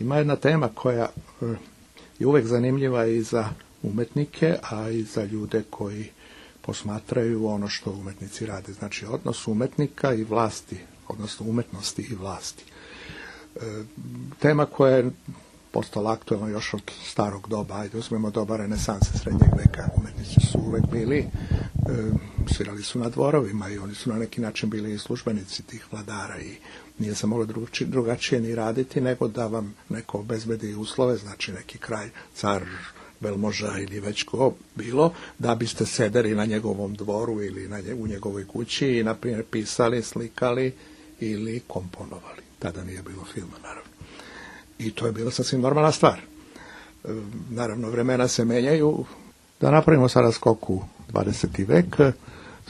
ima jedna tema koja je uvek zanimljiva i za umetnike, a i za ljude koji posmatraju ono što umetnici rade. Znači, odnos umetnika i vlasti, odnosno umetnosti i vlasti. Tema koja je postala aktualna još od starog doba, ajde uzmemo doba renesanse, srednjeg veka. Umetnici su uvek bili, svirali su na dvorovima i oni su na neki način bili i službenici tih vladara i nije se moglo drugačije ni raditi nego da vam neko obezbedi uslove, znači neki kralj, car, velmoža ili već ko bilo, da biste sedeli na njegovom dvoru ili u njegovoj kući i, na primjer, pisali, slikali ili komponovali. Tada nije bilo filma, naravno. I to je bila sasvim normalna stvar. Naravno, vremena se menjaju. Da napravimo sada skok u 20. vek,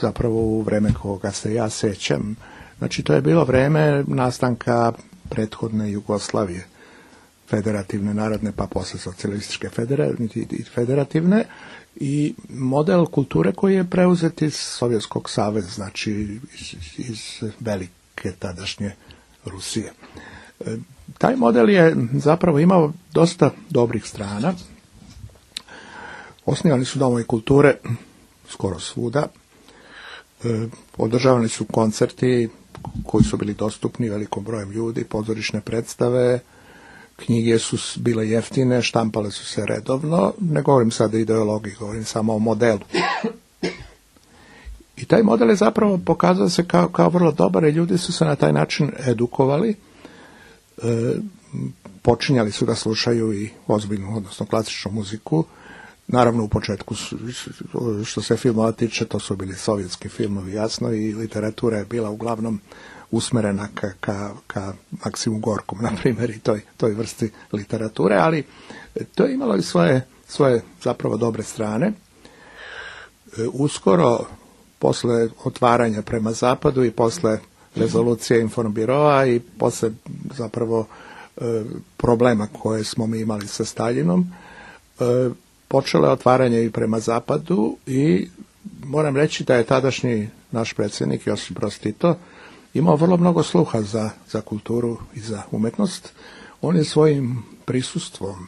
zapravo u vreme koga se ja sećam. Znači, to je bilo vreme nastanka prethodne Jugoslavije, federativne, narodne, pa posle socijalističke federativne, i model kulture koji je preuzet iz Sovjetskog saveza, znači iz velike tadašnje Rusije. Taj model je zapravo imao dosta dobrih strana. Osnivani su domovi kulture skoro svuda. Održavani su koncerti koji su bili dostupni velikom brojem ljudi, pozorišne predstave, knjige su bile jeftine, štampale su se redovno. Ne govorim sad o ideologiji, govorim samo o modelu. I taj model je zapravo pokazao se kao vrlo dobar i ljudi su se na taj način edukovali. Počinjali su da slušaju i ozbiljnu, odnosno klasičnu muziku. Naravno, u početku, što se filmova tiče, to su bili sovjetski filmovi, jasno, i literatura je bila uglavnom usmerena ka Maksimu Gorkom, na primjer, i toj vrsti literature, ali to je imalo i svoje zapravo dobre strane. Uskoro, posle otvaranja prema zapadu i posle rezolucije Informbiroa i posle zapravo problema koje smo mi imali sa Staljinom, počelo je otvaranje i prema zapadu i moram reći da je tadašnji naš predsjednik Josip Broz Tito imao vrlo mnogo sluha za kulturu i za umetnost. On je svojim prisustvom,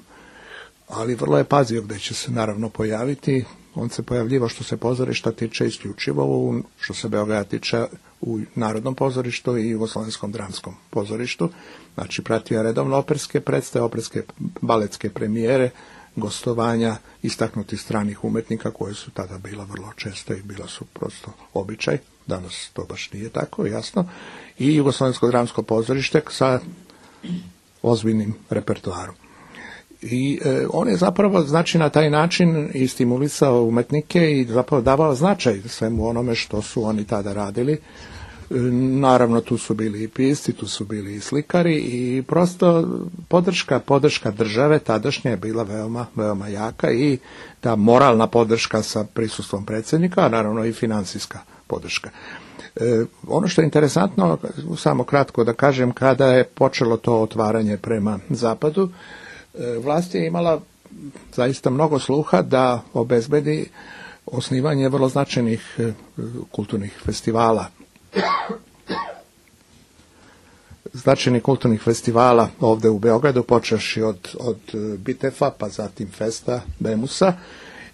ali vrlo je pazio gde će se naravno pojaviti. On se pojavljivo što se pozorišta tiče isključivo, što se Beograda tiče, u Narodnom pozorištu i Jugoslovenskom dramskom pozorištu. Znači, pratio redovno operske predstave, operske baletske premijere, gostovanja istaknutih stranih umetnika koje su tada bila vrlo česte i bila su prosto običaj. Danas to baš nije tako, jasno. I Jugoslovensko dramsko pozorište sa ozbiljnim repertoarom. I on je zapravo, znači, na taj način i stimulisao umetnike i zapravo davao značaj svemu onome što su oni tada radili. Naravno, tu su bili i pisci, tu su bili i slikari i prosto podrška države tadašnje je bila veoma, veoma jaka i ta moralna podrška sa prisustvom predsjednika, a naravno i financijska podrška. Ono što je interesantno, samo kratko da kažem, kada je počelo to otvaranje prema zapadu, vlast je imala zaista mnogo sluha da obezbedi osnivanje vrlo značajnih kulturnih festivala. Značajnih kulturnih festivala ovde u Beogradu, počevši od Bitefa, pa zatim Festa, Bemusa,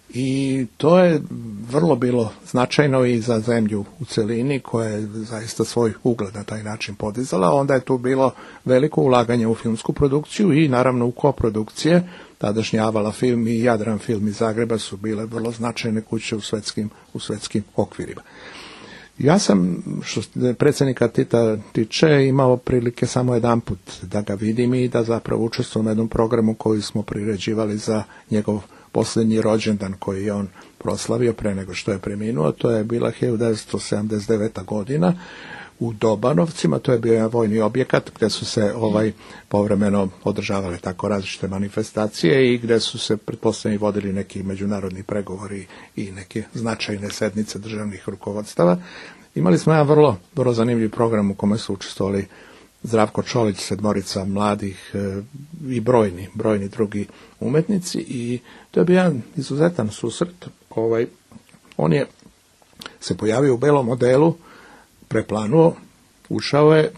i to je vrlo bilo značajno i za zemlju u celini koja je zaista svoj ugled na taj način podizala. Onda je tu bilo veliko ulaganje u filmsku produkciju i naravno u koprodukcije. Tadašnji Avala film i Jadran film iz Zagreba su bile vrlo značajne kuće u svetskim okvirima. Ja sam, što predsjednika Tita tiče, imao prilike samo jedanput da ga vidim i da zapravo učestvujem u jednom programu koji smo priređivali za njegov posljednji rođendan koji je on proslavio pre nego što je preminuo. To je bila 1979. godina u Dobanovcima. To je bio jedan vojni objekat gdje su se povremeno održavale tako različite manifestacije i gdje su se pretpostavljeni vodili neki međunarodni pregovori i neke značajne sednice državnih rukovodstava. Imali smo jedan vrlo zanimljiv program u kome su učestvovali Zdravko Čolić, sedmorica mladih i brojni drugi umetnici i to je bio jedan izuzetan susret. On je se pojavio u belom modelu, preplanuo, ušao je,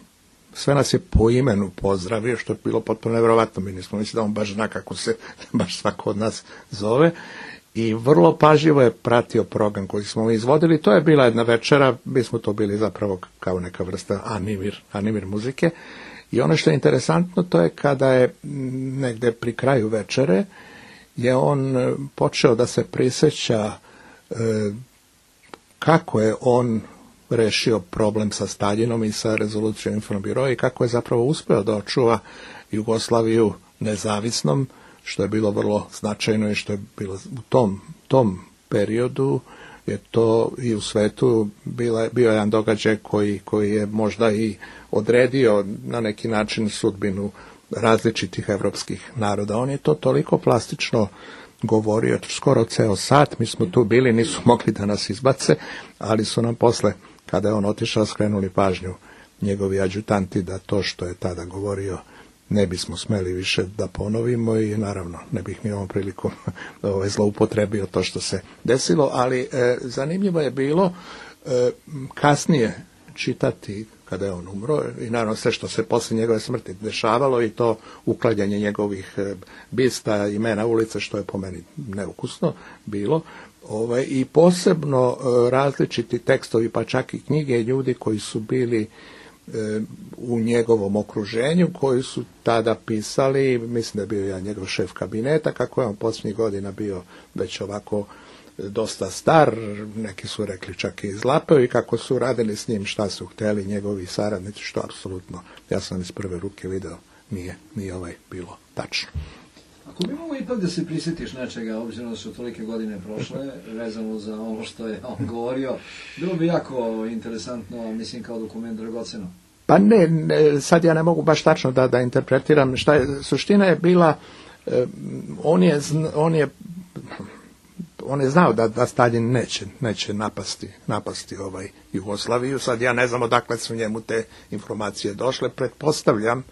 sve nas je po imenu pozdravio, što je bilo potpuno nevjerovatno. Mi nismo mislili da on baš zna kako se baš svako od nas zove. I vrlo pažljivo je pratio program koji smo mi izvodili. To je bila jedna večera, mi smo to bili zapravo kao neka vrsta animir muzike. I ono što je interesantno, to je kada je negde pri kraju večere, je on počeo da se prisjeća kako je on rešio problem sa Staljinom i sa rezolucijom Informbiroa i kako je zapravo uspeo da očuva Jugoslaviju nezavisnom, što je bilo vrlo značajno i što je bilo u tom periodu je to i u svetu bio jedan događaj koji je možda i odredio na neki način sudbinu različitih evropskih naroda. On je to toliko plastično govorio, skoro ceo sat, mi smo tu bili, nisu mogli da nas izbace, ali su nam posle, kada je on otišao, skrenuli pažnju njegovi adjutanti da to što je tada govorio ne bismo smeli više da ponovimo i naravno ne bih mi ovom prilikom zloupotrebio to što se desilo, ali zanimljivo je bilo kasnije čitati kada je on umro i naravno sve što se posle njegove smrti dešavalo i to uklanjanje njegovih bista, imena ulice, što je po meni neukusno bilo. I posebno različiti tekstovi, pa čak i knjige ljudi koji su bili u njegovom okruženju, koji su tada pisali, mislim da je bio ja njegov šef kabineta, kako je on posljednjih godina bio već ovako dosta star, neki su rekli čak i izlapeo i kako su radili s njim šta su hteli njegovi saradnici, što apsolutno, ja sam iz prve ruke video, nije bilo tačno. Ako bi mogo ipak da se prisjetiš nečega, obzirom da su tolike godine prošle, vezano za ono što je on govorio, bilo bi jako interesantno, mislim, kao dokument dragoceno. Pa ne, sad ja ne mogu baš tačno da interpretiram šta je, suština je bila, on je znao da Staljin neće napasti Jugoslaviju, sad ja ne znam odakle su njemu te informacije došle, pretpostavljam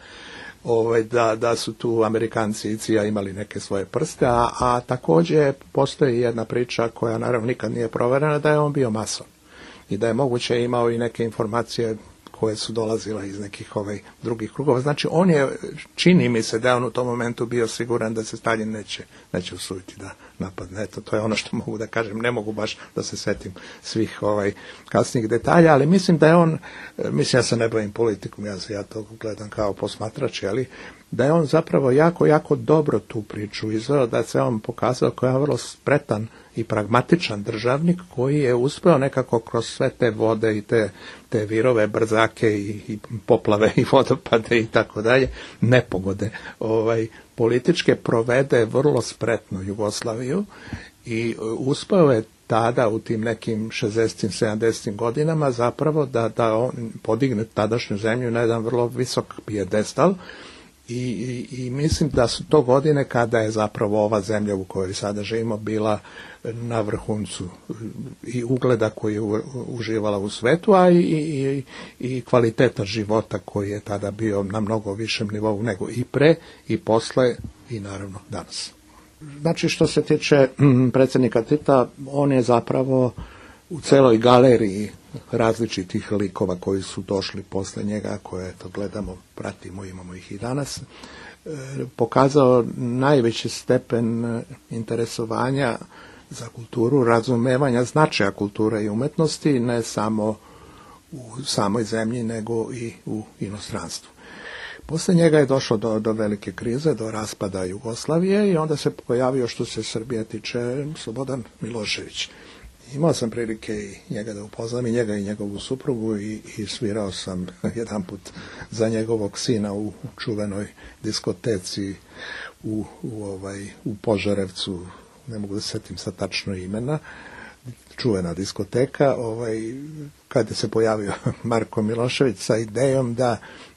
da su tu Amerikanci i CIA imali neke svoje prste, a također postoji jedna priča koja naravno nikad nije proverena, da je on bio mason i da je moguće imao i neke informacije koje su dolazile iz nekih drugih krugova. Znači on je, čini mi se da je on u tom momentu bio siguran da se Staljin neće usuditi da napadne. Eto, to je ono što mogu da kažem. Ne mogu baš da se setim svih kasnijih detalja, ali mislim da je on, ja se ne bavim politikom, ja to gledam kao posmatrač, ali da je on zapravo jako, jako dobro tu priču izveo, da se on pokazao kao je vrlo spretan i pragmatičan državnik koji je uspeo nekako kroz sve te vode i te virove, brzake i poplave i vodopade i tako dalje, nepogode političke provede vrlo spretno Jugoslaviju i uspeo je tada u tim nekim 60. 70. godinama zapravo da on podigne tadašnju zemlju na jedan vrlo visok pijedestal. I mislim da su to godine kada je zapravo ova zemlja u kojoj sada živimo bila na vrhuncu i ugleda koji je uživala u svetu, a i kvaliteta života koji je tada bio na mnogo višem nivou nego i pre i posle i naravno danas. Znači što se tiče predsjednika Tita, on je zapravo u celoj galeriji različitih likova koji su došli posle njega, koje to gledamo, pratimo, imamo ih i danas, pokazao najveći stepen interesovanja za kulturu, razumevanja značaja kulture i umetnosti, ne samo u samoj zemlji, nego i u inostranstvu. Posle njega je došlo do velike krize, do raspada Jugoslavije i onda se pojavio, što se Srbije tiče, Slobodan Milošević. Imao sam prilike i njega da upoznam, i njega i njegovu suprugu, i svirao sam jedan put za njegovog sina u čuvenoj diskoteci u Požarevcu, ne mogu da se setim sad tačno imena, čuvena diskoteka, kada se pojavio Marko Milošević sa idejom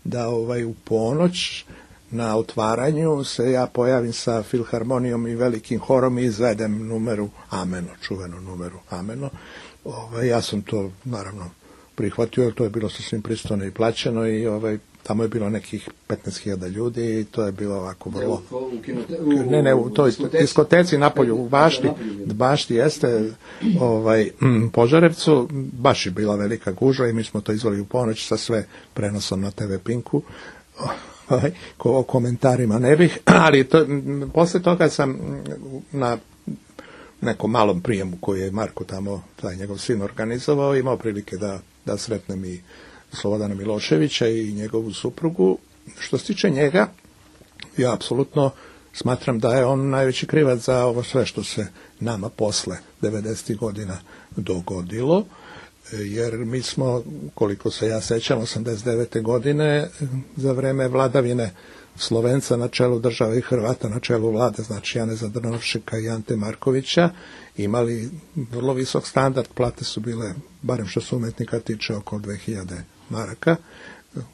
da u ponoć na otvaranju se ja pojavim sa filharmonijom i velikim horom i izvedem numeru Ameno, čuvenu numeru Ameno. Ja sam to naravno prihvatio, jer to je bilo sasvim pristojno i plaćeno i tamo je bilo nekih 15.000 ljudi i to je bilo ovako vrlo... U toj diskoteci napolju, u bašti jeste, Požarevcu, baš je bila velika gužva i mi smo to izveli u ponoć sa sve prenosom na TV Pinku. O komentarima ne bih, ali posle toga sam na nekom malom prijemu koji je Marko tamo, taj njegov sin organizovao, imao prilike da sretnem i Slobodana Miloševića i njegovu suprugu. Što se tiče njega, ja apsolutno smatram da je on najveći krivac za ovo sve što se nama posle 90. godina dogodilo, jer mi smo, koliko se ja sećam, 89. godine za vreme vladavine Slovenca na čelu države i Hrvata na čelu vlade, znači Janeza Drnovšeka i Ante Markovića, imali vrlo visok standard, plate su bile, barem što se umetnika tiče, oko 2000 maraka,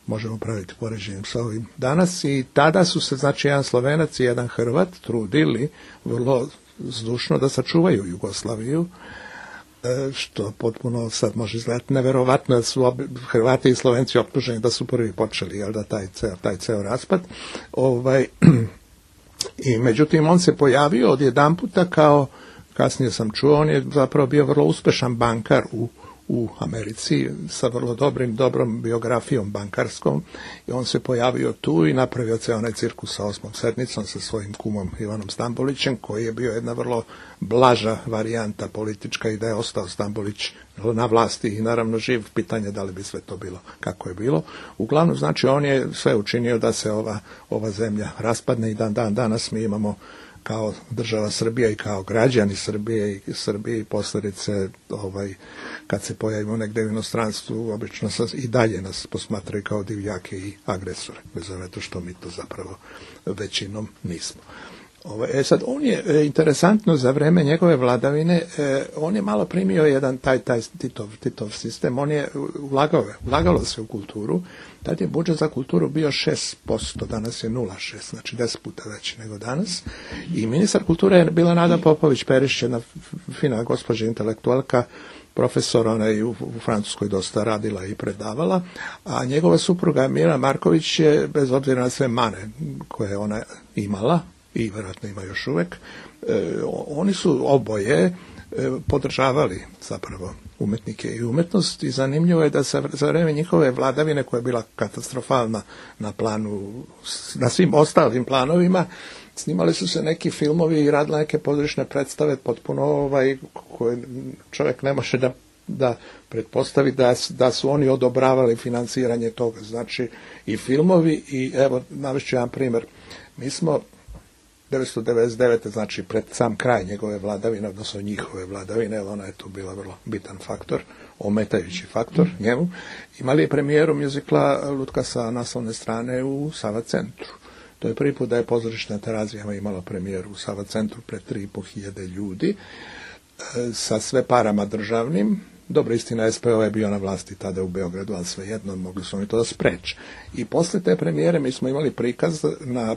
možemo praviti poređenjem sa ovim danas, i tada su se, znači, jedan Slovenac i jedan Hrvat trudili vrlo zdušno da sačuvaju Jugoslaviju, što potpuno sad može izgledati neverovatno, da su Hrvati i Slovenci optuženi da su prvi počeli, jel da, taj ceo raspad. I međutim, on se pojavio odjedanputa kao, kasnije sam čuo, on je zapravo bio vrlo uspešan bankar u Americi sa vrlo dobrom biografijom bankarskom, i on se pojavio tu i napravio ceo onaj cirkus sa 8. sedmicom sa svojim kumom Ivanom Stambolićem, koji je bio jedna vrlo blaža varijanta politička, i da je ostao Stambolić na vlasti i naravno živ, pitanje da li bi sve to bilo kako je bilo. Uglavnom, znači, on je sve učinio da se ova zemlja raspadne, i danas mi imamo kao država Srbija i kao građani Srbije i posljedice, kad se pojavimo negdje u inostranstvu, obično i dalje nas posmatraju kao divljake i agresore, bez obzira što mi to zapravo većinom nismo. Sad, on je, interesantno, za vreme njegove vladavine, on je malo primio jedan taj Titov sistem, on je ulagalo se u kulturu. Tad je budžet za kulturu bio 6%, danas je 0,6%, znači 10 puta veći nego danas. I ministar kulture je bila Nada Popović-Perišić, jedna fina gospođa intelektualka, profesor, ona je u Francuskoj dosta radila i predavala, a njegova supruga Mira Marković je, bez obzira na sve mane koje ona imala, i vjerojatno ima još uvek, oni su oboje podržavali zapravo umetnike i umetnost, i zanimljivo je da za vreme njihove vladavine, koja je bila katastrofalna na planu, na svim ostalim planovima, snimali su se neki filmovi i radile neke pozorišne predstave potpuno koje čovjek ne može da pretpostavi da su oni odobravali financiranje toga, znači i filmovi. I evo, navešću jedan primjer. Mi smo 1999. znači pred sam kraj njegove vladavine, odnosno njihove vladavine, ona je tu bila vrlo bitan faktor, ometajući faktor njemu, imali je premijeru mjuzikla Lutka sa naslovne strane u Sava centru. To je prvi put da je pozorište na Terazijama imalo premijeru u Sava centru pred 3.500 ljudi, sa sve parama državnim. Dobro, istina, SPO je bio na vlasti tada u Beogradu, ali svejedno mogli su oni to da spreče. I posle te premijere mi smo imali prikaz na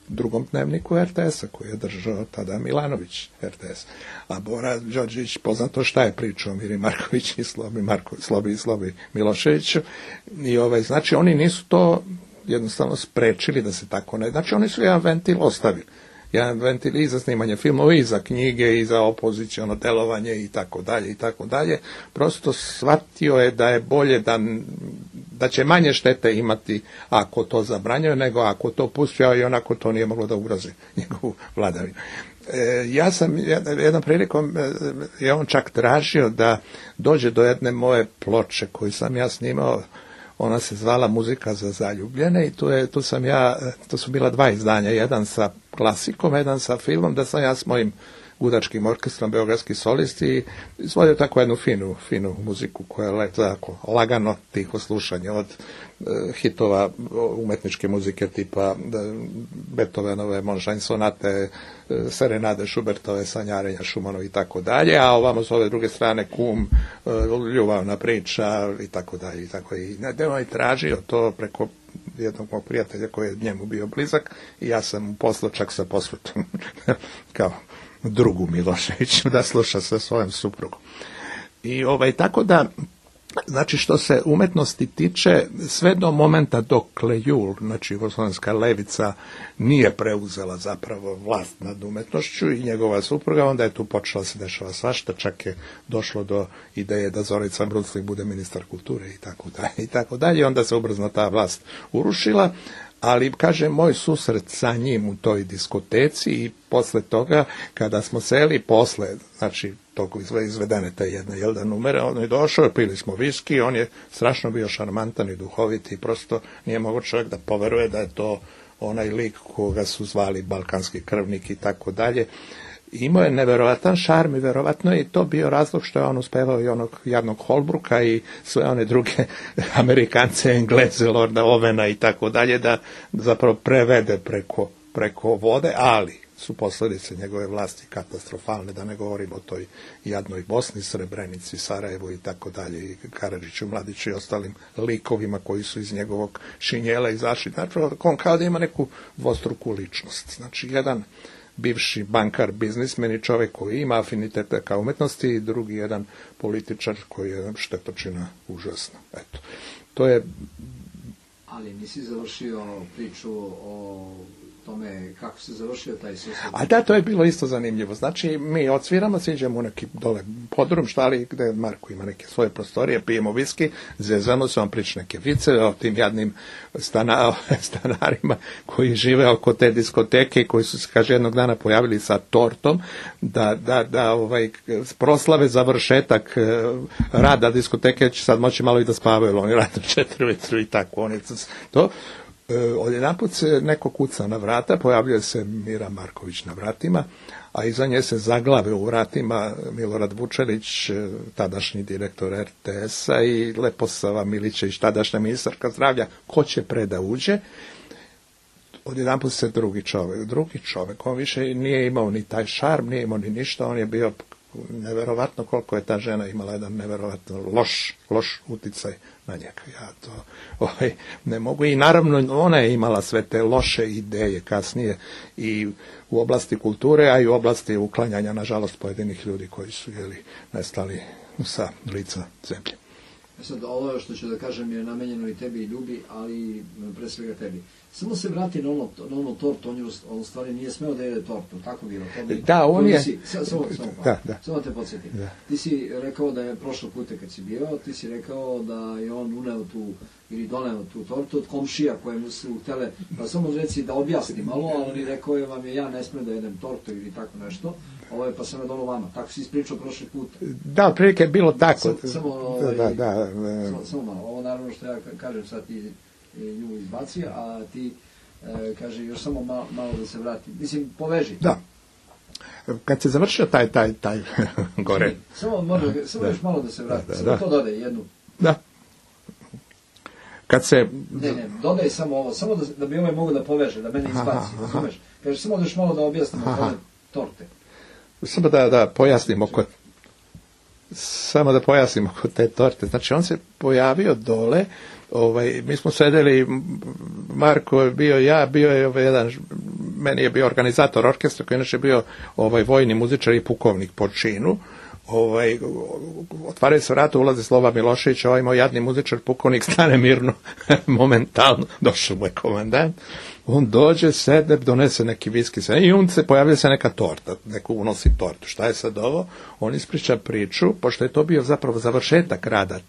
drugom dnevniku RTS-a, koji je držao tada Milanović RTS. A Bora Đorđević, poznato šta je pričao Miri Marković i Slobi Miloševiću. I znači oni nisu to jednostavno sprečili da se tako ne... Znači oni su jedan ventil ostavili. Jedan ventil i za snimanje filmova, i za knjige, i za opoziciono delovanje, i tako dalje, i tako dalje. Prosto shvatio je da je bolje da će manje štete imati ako to zabranjuje, nego ako to pustio, i onako to nije moglo da ugrozi njegovu vladavinu. Ja sam jednom prilikom, je on čak tražio da dođe do jedne moje ploče koju sam ja snimao. Ona se zvala Muzika za zaljubljene, i tu su bila dva izdanja, jedan sa klasikom, jedan sa filmom, da sam ja s mojim gudačkim orkestrom, beogradski solisti, i izvodio tako jednu finu muziku koja je tako lagano, tiho slušanje, od hitova umetničke muzike tipa Beethovenove Monšajn sonate, serenade Šubertove, sanjarenja Šumanova i tako dalje, a ovamo s ove druge strane Kum, ljubavna priča i tako dalje. I on je tražio to preko jednog mog prijatelja koji je njemu bio blizak, i ja sam mu poslao čak sa posvetom kao drugu Miloševiću da sluša sa svojom suprugom. I tako da Znači, što se umetnosti tiče, sve do momenta dok Lejul, znači jugoslovenska levica, nije preuzela zapravo vlast nad umetnošću i njegova supruga, onda je tu počela se dešava svašta, čak je došlo do ideje da Zorica Bruclik bude ministar kulture i tako dalje. Onda se ubrzno ta vlast urušila, ali, kaže, moj susret sa njim u toj diskoteci i posle toga, kada smo seli posle, znači, tog izvedene te jedne Jelda numere, on je došao, pili smo viski, on je strašno bio šarmantan i duhovit i prosto nije mogo čovjek da poveruje da je to onaj lik koga su zvali balkanski krvnik i tako dalje. Imao je neverovatan šarm i verovatno je to bio razlog što je on uspevao i onog jadnog Holbrooka i sve one druge Amerikance, Engleze, Lorda Ovena i tako dalje, da zapravo prevede preko vode, ali su posljedice njegove vlasti katastrofalne, da ne govorim o toj jadnoj Bosni, Srebrenici, Sarajevu i tako dalje, i Karadžiću, Mladiću i ostalim likovima koji su iz njegovog šinjela izašli. Znači, on kao da ima neku dvostruku ličnost. Znači, jedan bivši bankar, biznismen i čovjek koji ima afinitete ka umetnosti i drugi jedan političar koji je štetočina užasna. Eto, to je... Ali nisi završio priču o tome kako se završio taj susret. A da, to je bilo isto zanimljivo. Znači, mi odsviramo, siđemo u neki dole podrum, štali, gde Marko ima neke svoje prostorije, pijemo viski, zezamo se, on priča neke vice o tim jadnim stanarima koji žive oko te diskoteke i koji su se, kaže, jednog dana pojavili sa tortom da proslave završetak rada diskoteke, će sad moći malo i da spavaju, oni rade 4 ujutru i tako. Oni to... Odjedanput se neko kuca na vrata, pojavljuje se Mira Marković na vratima, a iza nje se zaglave u vratima Milorad Vučelić, tadašnji direktor RTS-a, i Leposava Milićević, tadašnja ministarka zdravlja. Ko će da uđe? Odjedanput se drugi čovjek, on više nije imao ni taj šarm, nije imao ni ništa, on je bio neverovatno koliko je ta žena imala jedan neverovatno loš uticaj na njega. Ja to ne mogu. I naravno ona je imala sve te loše ideje kasnije i u oblasti kulture, a i u oblasti uklanjanja, nažalost, pojedinih ljudi koji su nestali sa lica zemlje. Sad, ovo što ću da kažem je namenjeno i tebi i Ljubi, ali pre svega tebi. Samo se vrati na ono tortu, on u stvari nije smeo da jede tortu, tako bilo. Da, on je... Samo te podsjetim. Ti si rekao da je prošlo puta kad si bio, ti si rekao da je on uneo tu, ili doneo tu tortu od komšija koje mu su htele, pa samo reci da objasni malo, ali oni rekao je vam je ja ne smem da jedem tortu ili tako nešto. Ovo je pa sam je dono vama. Tako si ispričao prošli put. Da, otprilike je bilo tako. Samo malo. Ovo naravno što ja kažem sad ti nju izbaci, a ti kaže još samo malo da se vrati. Mislim, poveži. Da. Kad se završio taj gore. Samo još malo da se vrati. Samo to dodaj jednu. Da. Kad se... Ne, dodaj samo ovo. Samo da bi ovaj mogo da poveže, da mene izbaci. Razumeš? Kaže, samo da još malo da objasnimo ove torte. Samo da pojasnimo kod te torte. Znači, on se pojavio dole, mi smo sedeli, Marko je bio je jedan, meni je bio organizator orkestra, koji je inače bio vojni muzičar i pukovnik po činu. Otvaraju se vrata, ulazi Slova Milošević, moj jadni muzičar, pukovnik, stane mirno, momentalno, došao mu je komandant. On dođe, sedne, donese neki viski i on se pojavlja se neka torta, neko unosi tortu. Šta je sad ovo? On ispriča priču, pošto je to bio zapravo završetak rada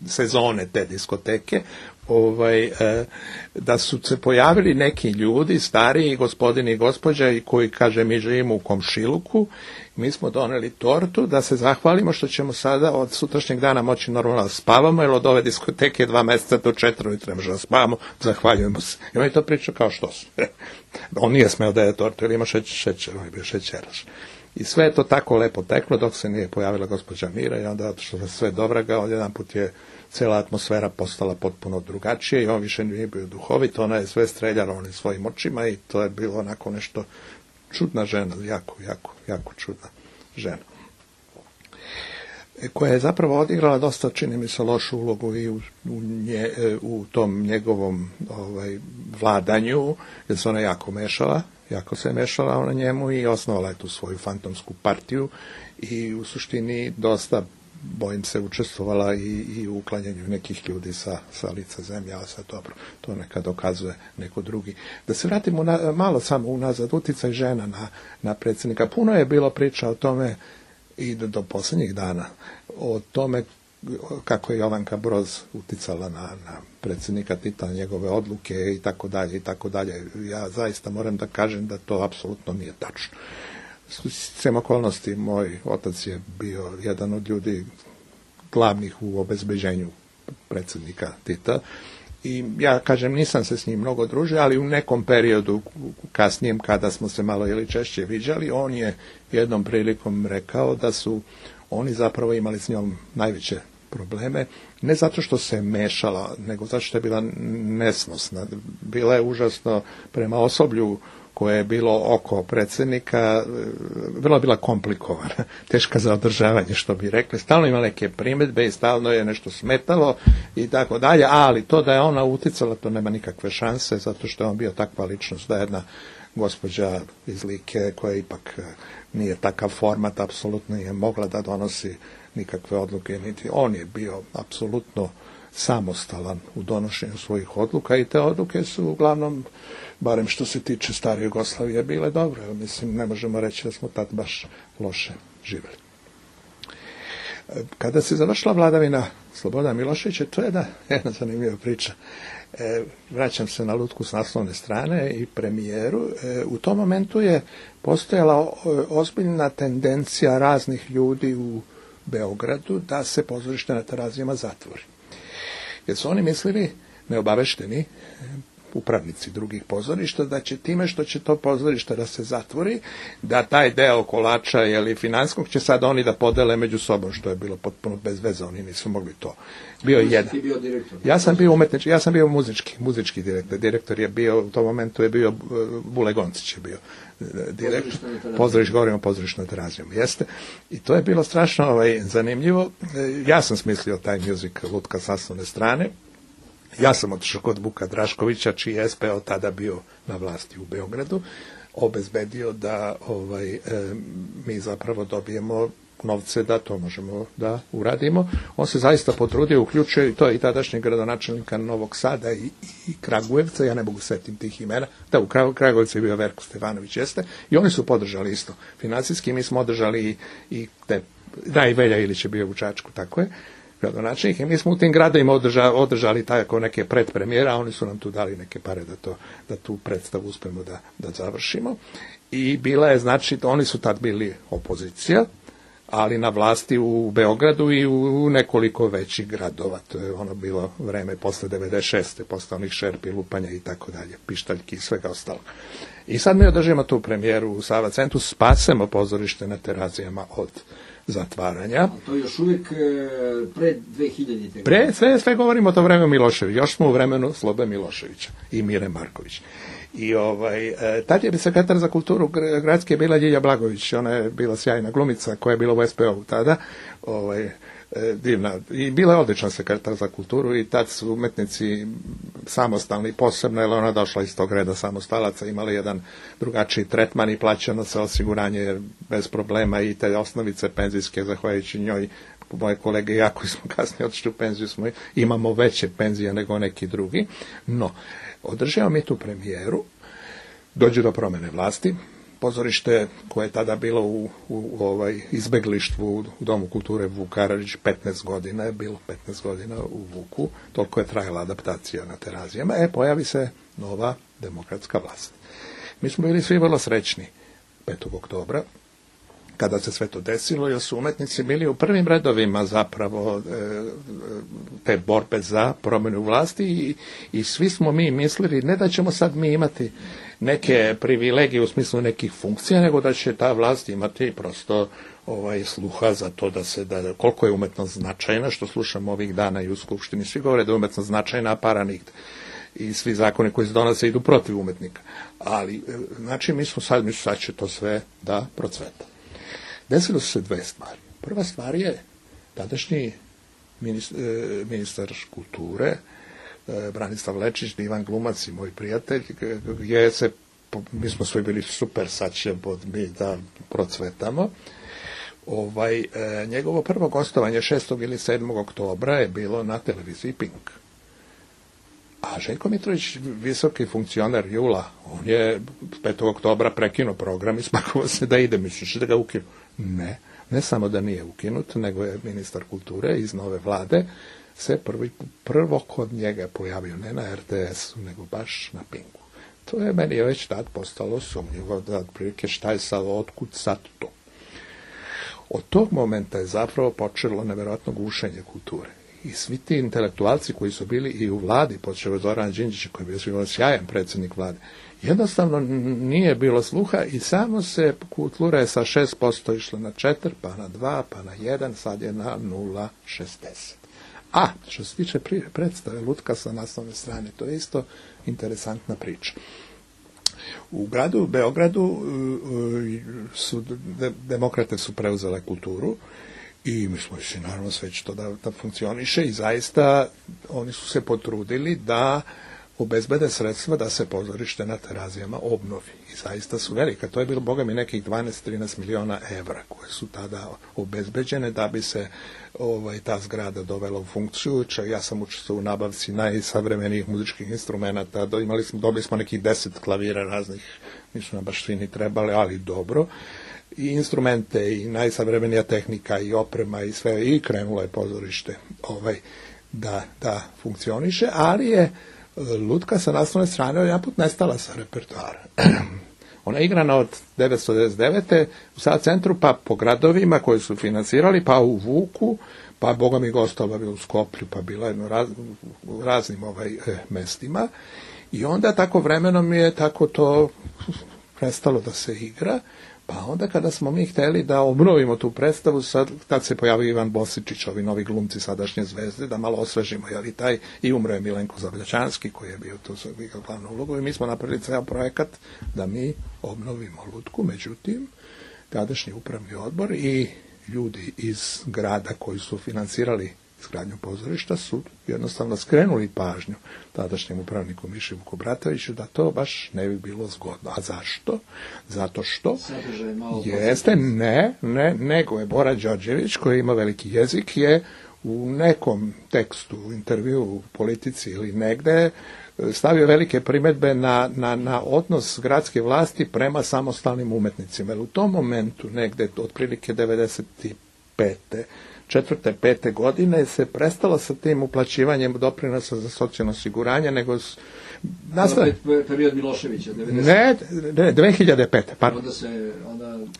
sezone te diskoteke, da su se pojavili neki ljudi, stariji gospodini i gospođa, i koji, kaže, mi živimo u komšiluku, mi smo doneli tortu da se zahvalimo što ćemo sada od sutrašnjeg dana moći normalno da spavamo, jer od ove diskoteke 2 mjeseca do 4 ujutro možemo da spavamo, zahvaljujemo se. I on je to pričao kao što su. On nije smeo da je tortu, jer ima šećer, on je bio šećeraš. I sve je to tako lepo teklo dok se nije pojavila gospođa Mira i onda što se sve dobraga, jedan put je cijela atmosfera postala potpuno drugačije i on više nije bio duhovit, ona je sve streljala onim svojim očima i to je bilo onako nešto čudna žena, jako čudna žena. Koja je zapravo odigrala dosta, čini mi se, lošu ulogu i u tom njegovom vladanju, jer se ona jako se mešala ona njemu i osnovala je tu svoju fantomsku partiju i u suštini dosta bojim se, učestvovala i u uklanjanju nekih ljudi sa lica zemlje, ali sad dobro, to neka dokazuje neko drugi. Da se vratimo malo samo unazad, uticaj žena na predsjednika. Puno je bilo priča o tome i do posljednjih dana, o tome kako je Jovanka Broz uticala na predsjednika Tita, njegove odluke i tako dalje i tako dalje. Ja zaista moram da kažem da to apsolutno nije tačno. Svem okolnosti, moj otac je bio jedan od ljudi glavnih u obezbeđenju predsjednika Tita i ja kažem nisam se s njim mnogo družio, ali u nekom periodu kasnijem kada smo se malo ili češće viđali, on je jednom prilikom rekao da su oni zapravo imali s njom najveće probleme, ne zato što se mešala, nego zato što je bila nesnosna. Bila je užasno prema osoblju koje je bilo oko predsjednika, vrlo je bila komplikovana, teška za održavanje, što bi rekli. Stalno ima neke primjedbe i stalno je nešto smetalo i tako dalje, ali to da je ona uticala, to nema nikakve šanse, zato što je on bio takva ličnost, da je jedna gospođa iz Like koja ipak nije takav format, apsolutno nije mogla da donosi nikakve odluke, niti on je bio apsolutno samostalan u donošenju svojih odluka i te odluke su uglavnom, barem što se tiče stare Jugoslavije, bile dobre. Mislim, ne možemo reći da smo tad baš loše živjeli. Kada se završila vladavina Slobodana Miloševića, to je jedna zanimljiva priča. Vraćam se na lutku s naslovne strane i premijeru. U tom momentu je postojala ozbiljna tendencija raznih ljudi u Beogradu da se pozorište na Terazijama zatvori. Jer su oni mislili, neobavešteni, upravnici drugih pozorišta, da će time što će to pozorište da se zatvori, da taj deo kolača ili finanskog će sad oni da podele među sobom, što je bilo potpuno bez veze, oni nisu mogli to. Bio je jedan. Ti bio direktor? Ja sam bio umetnički, ja sam bio muzički direktor. Direktor je bio, u tom momentu je bio, Bule Goncić je bio direktor. Govorimo o pozorišnoj Terazijama, jeste. I to je bilo strašno zanimljivo. Ja sam smislio taj musical Lutka s naslovne strane. Ja sam otišao kod Vuka Draškovića, čiji je SPO tada bio na vlasti u Beogradu, obezbedio da mi zapravo dobijemo novce da to možemo da uradimo. On se zaista potrudio, uključio i to i tadašnjeg gradonačelnika Novog Sada i Kragujevca, ja ne mogu setim tih imena, da u Kragujevcu je bio Verko Stefanović, jeste, i oni su podržali isto. Financijski mi smo održali i te, da i Velja Ilić je bio u Čačku, tako je, gradonačelnik, i mi smo u tim gradovima održali tako neke predpremijere, a oni su nam tu dali neke pare da tu predstavu uspemo da završimo. I bila je, znači, oni su tad bili opozicija, ali na vlasti u Beogradu i u nekoliko većih gradova. To je ono bilo vreme posle 96. posle onih šerpi, lupanja i tako dalje, pištaljki i svega ostalo. I sad mi održimo tu premijeru u Sava centru, spasemo pozorište na Terazijama od zatvaranja. A to je još uvijek pred 2000. Sve govorimo o to vremenu Miloševića. Još smo u vremenu Slobe Miloševića i Mire Marković. I tad je sekretar za kulturu gradske bila Ljilja Blagović. Ona je bila sjajna glumica koja je bila u SPO-u tada. Divna. I bila je odličan sekretar za kulturu i tad su umetnici samostalni posebno, jer ona došla iz tog reda samostalaca, imali jedan drugačiji tretman i plaćano se osiguranje bez problema i te osnovice penzijske, zahvaljujući njoj, moje kolege i ja koji smo kasnije otišli u penziju, imamo veće penzije nego neki drugi. No, održavamo mi tu premijeru, dođe do promjene vlasti, pozorište koje je tada bilo u izbeglištvu u Domu kulture Vuk Karadžić 15 godina je bilo, 15 godina u Vuku, toliko je trajala adaptacija na Terazijama, pojavi se nova demokratska vlast. Mi smo bili svi vrlo srećni 5. oktobra, kada se sve to desilo, jer su umetnici bili u prvim redovima zapravo te borbe za promjenu vlasti i svi smo mi mislili, ne da ćemo sad mi imati neke privilegije u smislu nekih funkcija, nego da će ta vlast imati prosto sluha za to da koliko je umetnost značajna, što slušamo ovih dana i u Skupštini. Svi govore da je umetnost značajna, a para nigde. I svi zakoni koji se donose idu protiv umetnika. Ali, znači, mi smo sad će to sve da procveta. Desilo su se dve stvari. Prva stvar je tadašnji ministar kulture, Branislav Lečić, divan glumac i moj prijatelj, mi smo svi bili super, sad ćemo mi da procvetamo. Njegovo prvo gostovanje 6. ili 7. oktobra je bilo na televiziji Pink. A Željko Mitrović, visoki funkcioner Jula, on je 5. oktobra prekinuo program i spakovao se da ide, misliš da ga ukinu? Ne samo da nije ukinut, nego je ministar kulture iz nove vlade se prvo kod njega pojavio, ne na RTS-u, nego baš na Pinku. To je meni već tad postalo sumnjivo, da otprilike šta je sad, otkud sad to. Od tog momenta je zapravo počelo nevjerojatno gušenje kulture. I svi ti intelektualci koji su bili i u vladi, počeo od Zorana Đinđića, koji je bio sjajan predsjednik vlade, jednostavno nije bilo sluha i samo se kultura je sa 6% išla na 4, pa na 2, pa na 1, sad je na 0,60. A, što se tiče predstave Lutka sa naslovne strane, to je isto interesantna priča. U gradu Beogradu demokrate su preuzele kulturu i mislimo si naravno sve će to da funkcioniše i zaista oni su se potrudili da obezbede sredstva da se pozorište na Terazijama obnovi. I zaista su velika. To je bilo, boga mi, nekih 12-13 miliona evra koje su tada obezbeđene da bi se ta zgrada dovela u funkciju. Ja sam učestvovao u nabavci najsavremenijih muzičkih instrumenata. Dobili smo nekih 10 klavira raznih, nisu nam baš svi ni trebali, ali dobro. I instrumente, i najsavremenija tehnika, i oprema, i sve. I krenulo je pozorište da funkcioniše, ali je Lutka sa naslovne strane jedanput nestala sa repertoara. Ona je igrana od 1999. u Sad centru, pa po gradovima koji su financirali, pa u Vuku, pa boga mi gostova bila u Skoplju, pa bila je u raznim mestima. I onda tako vremenom je tako to prestalo da se igra. Pa onda kada smo mi htjeli da obnovimo tu predstavu, tad se pojavio Ivan Bosičić, ovi novi glumci sadašnje Zvezde, da malo osvežimo, i umro je Milenko Zabljačanski, koji je bio tu glavnu ulogu, i mi smo napravili ceo projekat da mi obnovimo Lutku. Međutim, tadašnji upravni odbor i ljudi iz grada koji su financirali izgradnju pozorišta su jednostavno skrenuli pažnju tadašnjem upravniku Miši Vukobratoviću da to baš ne bi bilo zgodno. A zašto? Zato što jeste, nego je Bora Đorđević, koji ima veliki jezik, je u nekom tekstu, intervju u Politici ili negde stavio velike primjedbe na odnos gradske vlasti prema samostalnim umetnicima. Jer u tom momentu, negde otprilike 95. 4. 5. godine se prestalo sa tim uplaćivanjem doprinosa za socijalno osiguranje, nego period Miloševića, 90. Ne, 2005. Pardon.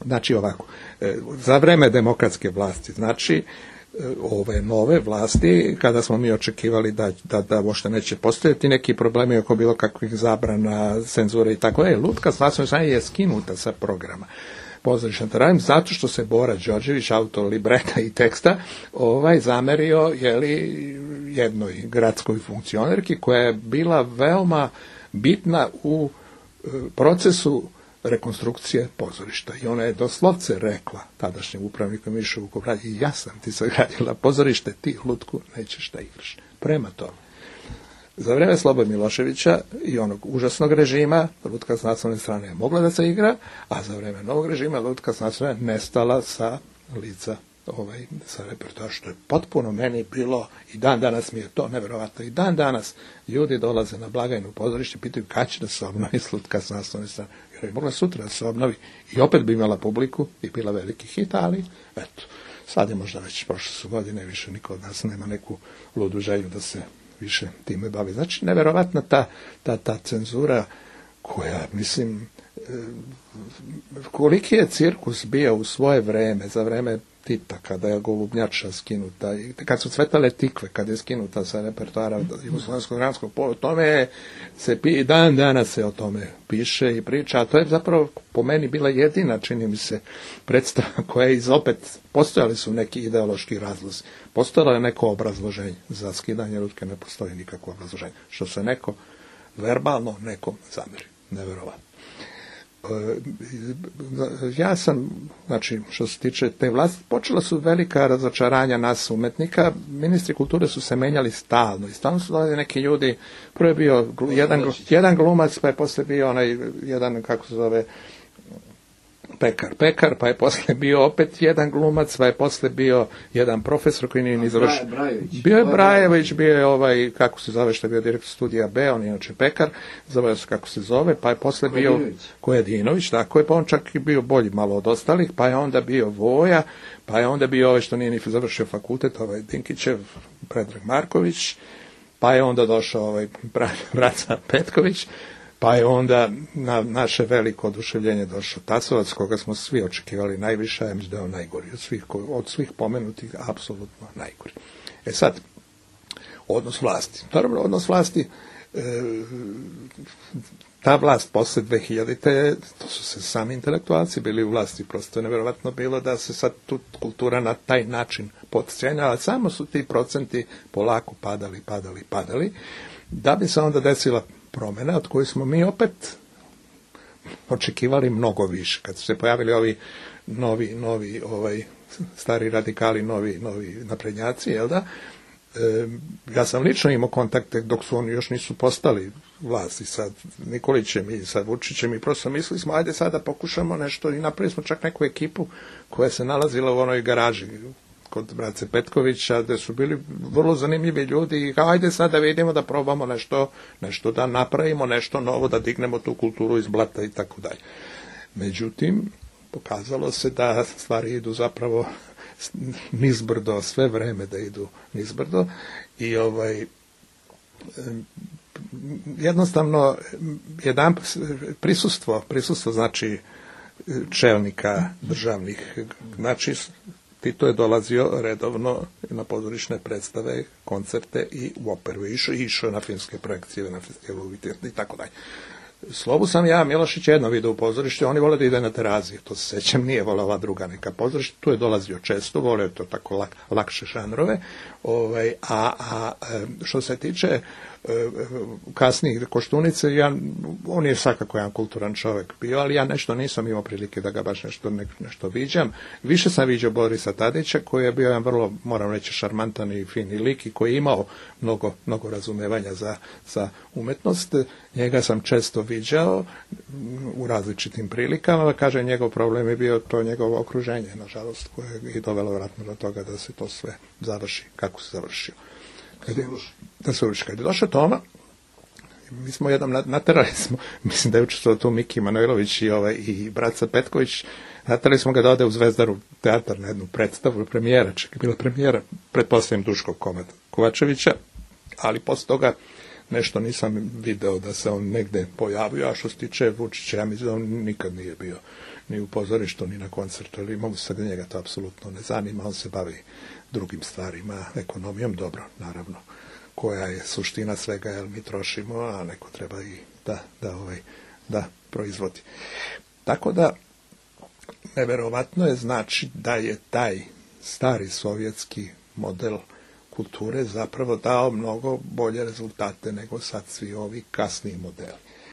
Znači ovako, za vreme demokratske vlasti, znači ove nove vlasti, kada smo mi očekivali da uopšte neće postojati neki problemi oko bilo kakvih zabrana, cenzure i tako, Lutka s naslovne strane je skinuta sa programa pozorišta Terazijama, zato što se Bora Đorđević, autor libreta i teksta, zamerio jednoj gradskoj funkcionerki koja je bila veoma bitna u procesu rekonstrukcije pozorišta. I ona je doslovce rekla tadašnjem upravniku Mišu Vukobratoviću: ja sam ti sagradila pozorište, ti Lutku nećeš da igraš. Prema tome, za vreme Slobode Miloševića i onog užasnog režima Lutka s naslovne strane je mogla da se igra, a za vreme novog režima Lutka s naslovne strane nestala sa lica sa repertoara, što je potpuno meni bilo, i dan danas mi je to neverovatno. I dan danas ljudi dolaze na blagajnu pozorište i pitaju kad će da se obnovi Lutka s naslovne strane. Jer je mogla sutra da se obnovi i opet bi imala publiku i bila veliki hit, ali eto, sad je možda već prošle su godine, više niko od nas nema neku ludu želju da se više time bavi. Znači, neverovatna ta cenzura koja, mislim, koliki je cirkus bio u svoje vreme, za vreme Tita, kada je Golubnjača skinuta, kad su cvetale tikve, kada je skinuta sa repertoara Jugoslovenskog dramskog pola, o tome i dan danas se o tome piše i priča, a to je zapravo po meni bila jedina, čini mi se, predstava koja je opet, postojali su neki ideološki razlozi, postojalo je neko obrazloženje za skidanje Lutke, ne postoji nikakvo obrazloženje, što se neko verbalno nekom zameri. Neverovatno. Ja sam, znači, što se tiče te vlasti, počela su velika razočaranja nas umetnika. Ministri kulture su se menjali stalno i stalno su dolazili neki ljudi. Prvo je bio jedan glumac, pa je posle bio onaj jedan, kako se zove, Pekar, pa je posle bio opet jedan glumac, pa je posle bio jedan profesor koji nije ni završio. Bio je Brajević, bio je kako se zove, što je bio direktor studija B, on je inače Pekar, zove se kako se zove, pa je posle bio Kojadinović, tako je, pa on čak i bio bolji malo od ostalih, pa je onda bio Voja, pa je onda bio što nije ni završio fakultet, Dinkićev, Predrag Marković, pa je onda došao Braca Petković, pa je onda na naše veliko oduševljenje došao Tasovac, koga smo svi očekivali najviše, ja mislim da je on najgori od svih pomenutih, apsolutno najgori. Sad, odnos vlasti. Naravno, odnos vlasti, ta vlast posle 2000. To su se sami intelektualci bili u vlasti, prosto je nevjerovatno bilo da se sad tu kultura na taj način potcijenjala, samo su ti procenti polako padali, da bi se onda desila promjena od koje smo mi opet očekivali mnogo više. Kad su se pojavili ovi novi stari radikali, novi naprednjaci, jel da? Ja sam lično imao kontakte dok su oni još nisu postali vlasti sa Nikolićem i sa Vučićem i prosto mislili smo, ajde sada pokušamo nešto i napravili smo čak neku ekipu koja se nalazila u onoj garaži kod Brace Petkovića, gde su bili vrlo zanimljivi ljudi i ajde sad da vidimo da probamo nešto da napravimo, nešto novo, da dignemo tu kulturu iz blata i tako dalje. Međutim, pokazalo se da stvari idu zapravo nizbrdo, sve vreme da idu nizbrdo i jednostavno prisustvo znači čelnika državnih, znači Tito je dolazio redovno na pozorišne predstave, koncerte i u operu. Išao na filmske projekcije, na festivalu i tako dalje. Slobu sam ja, Milošić, jedno video u pozorište, oni vole da ide na teraziju, to se sećam, nije volao ova druga neka pozorište, tu je dolazio često, voleo to tako lakše žanrove, što se tiče kasnijih Koštunice, on je svakako jedan kulturan čovjek bio, ali ja nešto nisam imao prilike da ga baš nešto viđam. Više sam viđao Borisa Tadića, koji je bio jedan vrlo, moram reći, šarmantan i fini lik i koji je imao mnogo razumevanja za umetnost. Njega sam često viđao u različitim prilikama, kaže, njegov problem je bio to njegovo okruženje, nažalost, koje je dovelo vjerojatno do toga da se to sve završi kako se završio. Kad je došao Toma, mi smo jednom naterali smo, mislim da je učestvovao tu Miki Manojlović i Braca Petković, naterali smo ga da ode u Zvezdaru teatar na jednu predstavu, premijera, čak je bila premijera, pretpostavljam Duškog Kovačevića, ali posle toga nešto nisam video da se on negde pojavio, a što se tiče Vučića, ja mislim da on nikad nije bio ni u pozorištu, ni na koncertu, ali mogu se da njega to apsolutno ne zanima, on se bavi drugim stvarima, ekonomijom, dobro, naravno, koja je suština svega, jer mi trošimo, a neko treba i da proizvodi. Tako da, neverovatno je znači da je taj stari sovjetski model kulture zapravo dao mnogo bolje rezultate nego sad svi ovi kasniji modeli.